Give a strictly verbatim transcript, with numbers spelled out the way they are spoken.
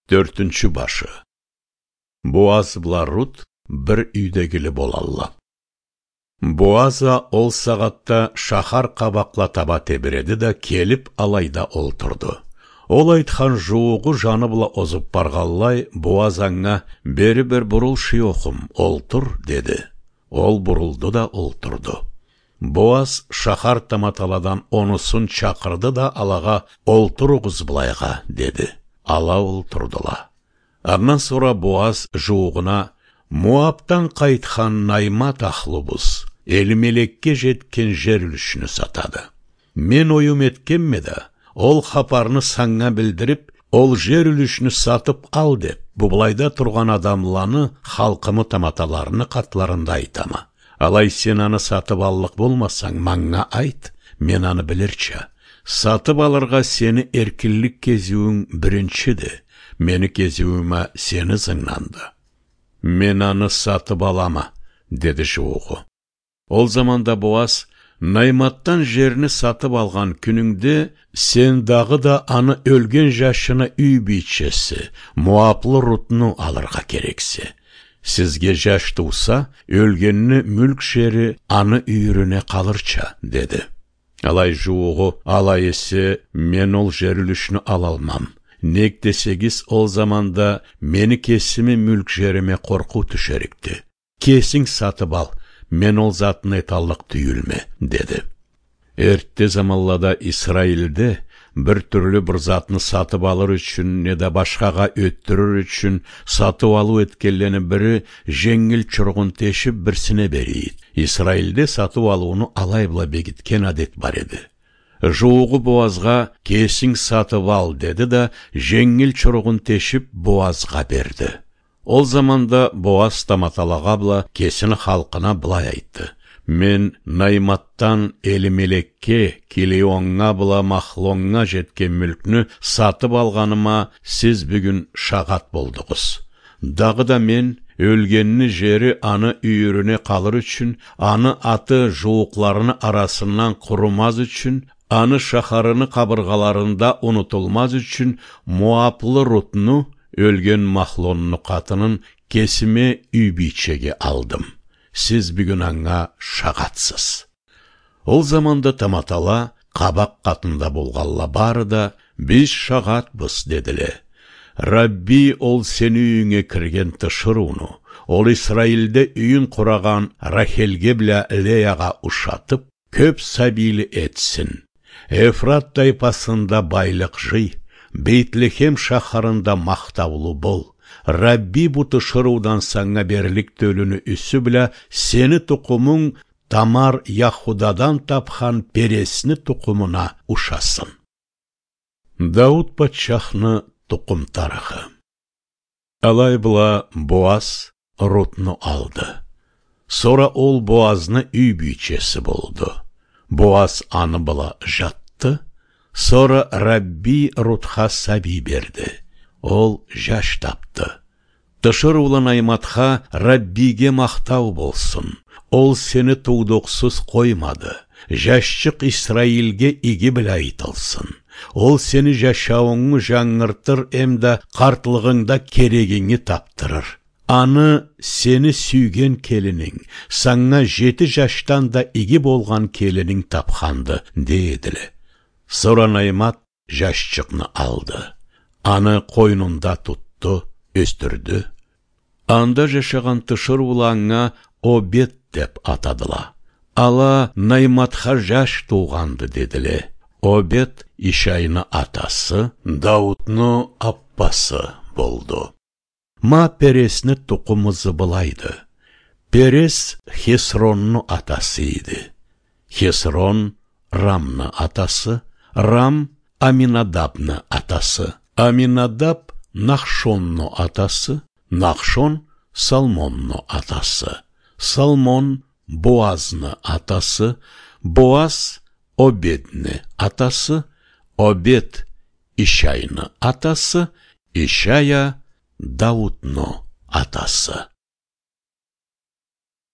Тёртюнчю башы. Боаз бла Рут бир юйдегили болалла. Боаз а ол сагъатда шахар къабакъла таба тебиреди да, келип, алайда олтурду. Ол айтхан жууугъу жаны бла озуп баргъанлай, Боаз анга: «Бери бир бурул, шуёхум, олтур», — деди. Ол бурулду да олтурду. Боаз шахар таматаладан онусун чакъырды да, алагъа: «Олтуругъуз былайгъа», — деди. Ала олтурдула. Андан сора Боаз жууугъуна: «Моабдан къайтхан Наймат ахлубуз Элимелекге жетген жер юлюшню сатады. Мен оюм этгенме да, ол хапарны санга билдирип, ол жер юлюшню сатып ал деп, бу былайда тургъан адамланы, халкъымы таматаларыны къатларында айтама. Алай сен аны сатып аллыкъ болмасанг, манга айт, мен аны билирча. Сатып алыргъа сени эркинлик кезиуюнг биринчиди, мени кезиуюм а сени ызынгданды». «Мен аны сатып алама», — деди жууугъу. Ол заманда Боаз: «Найматдан жерни сатып алгъан кюнюнгде сен дагъыда аны ёлген жашыны юй бийчеси, моаблы Рутну алыргъа керексе. Сизге жаш тууса, ёлгенни мюлк жери аны юйюрюне къалырча», — деди. Алай жууугъу: «Алай эсе, мен ол жер юлюшню алалмам. Нек десегиз, ол заманда мени кесими мюлк жериме къоркъуу тюшерикди. Кесинг сатып ал, мен ол затны эталлыкъ тюйюлме», — деди. Эртте заманлада Исраилде бир тюрлю бир затны сатып алыр ючюн неда башхагъа ётдюрюр ючюн сатыу-алыу этгенлени бири женгил чургъун тешип, бирсине берийди. Исраилде сатыу-алыуну алай бла бегитген адет бар эди. Жууугъу Боазгъа: «Кесинг сатып ал», — деди да, женгил чургъун тешип, Боазгъа берди. Ол заманда Боаз таматалагъа бла кесини халкъына былай айтды: «Мен Найматдан Элимелекге, Килеоннга бла Махлоннга жетген мюлкню сатып алгъаныма сиз бюгюн шагъат болдугъуз. Дагъыда мен ёлгенни жери аны юйюрюне къалыр ючюн, аны аты жууукъларыны арасындан къурумаз ючюн, аны шахарыны къабыргъаларында унутулмаз ючюн, моаблы Рутну, ёлген Махлонну къатынын, кесиме юй бийчеге алдым. Сиз бюгюн анга шагъатсыз». Ол заманда таматала къабакъ къатында болгъанла бары да: «Биз шагъатбыз», — дедиле. «Рабби ол сени юйюнге кирген тиширыуну, ол Исраилде юйюн къурагъан Рахелге бла Леягъа ушатып, кёп сабийли этсин. Эфрат тайпасында байлыкъ жый, Бейтлехем шахарында махтаулу бол. Рабби бу тиширыудан санга берлик тёлюню юсю бла сени тукъумунг Тамар Яхудадан тапхан Пересни тукъумуна ушасын». Дауут патчахны тукъум тарыхы. Алай бла Боаз Рутну алды. Сора ол Боазны юй бийчеси болду. Боаз аны бла жатды. Сора Рабби Рутха сабий берди. Ол жаш тапды. Тиширыулу Найматха Раббиге махтау болсун. Ол сени туудукъсуз къоймады. Жашчыкъ Исраилге иги бла айтылсын. Ол сени жашауунгу жангыртыр эмда къартлыгъынгда керегинги тапдырыр. Аны сени сюйген келининг, санга жети жашдан да иги болгъан келининг тапханды, — дейдиле. Сора Наймат жашчыкъны алды. Аны къойнунда тутду, ёсдюрдю. Анда жашагъан тиширыула анга Обед деп атадыла. Ала Найматха жаш туугъанды, дедиле. Обед Ишайны атасы, Даутну аппасы болду. Ма Пересни тукъум ызы былайды. Перес Хесронну атасы эди. Хесрон Рамны атасы, Рам Аминадабны атасы, Аминадаб Нахшонну атасы, Нахшон Салмонну атасы, Салмон Боазны атасы, Боаз Обедни атасы, Обед Ишайны атасы, Ишай а Даутну атасы.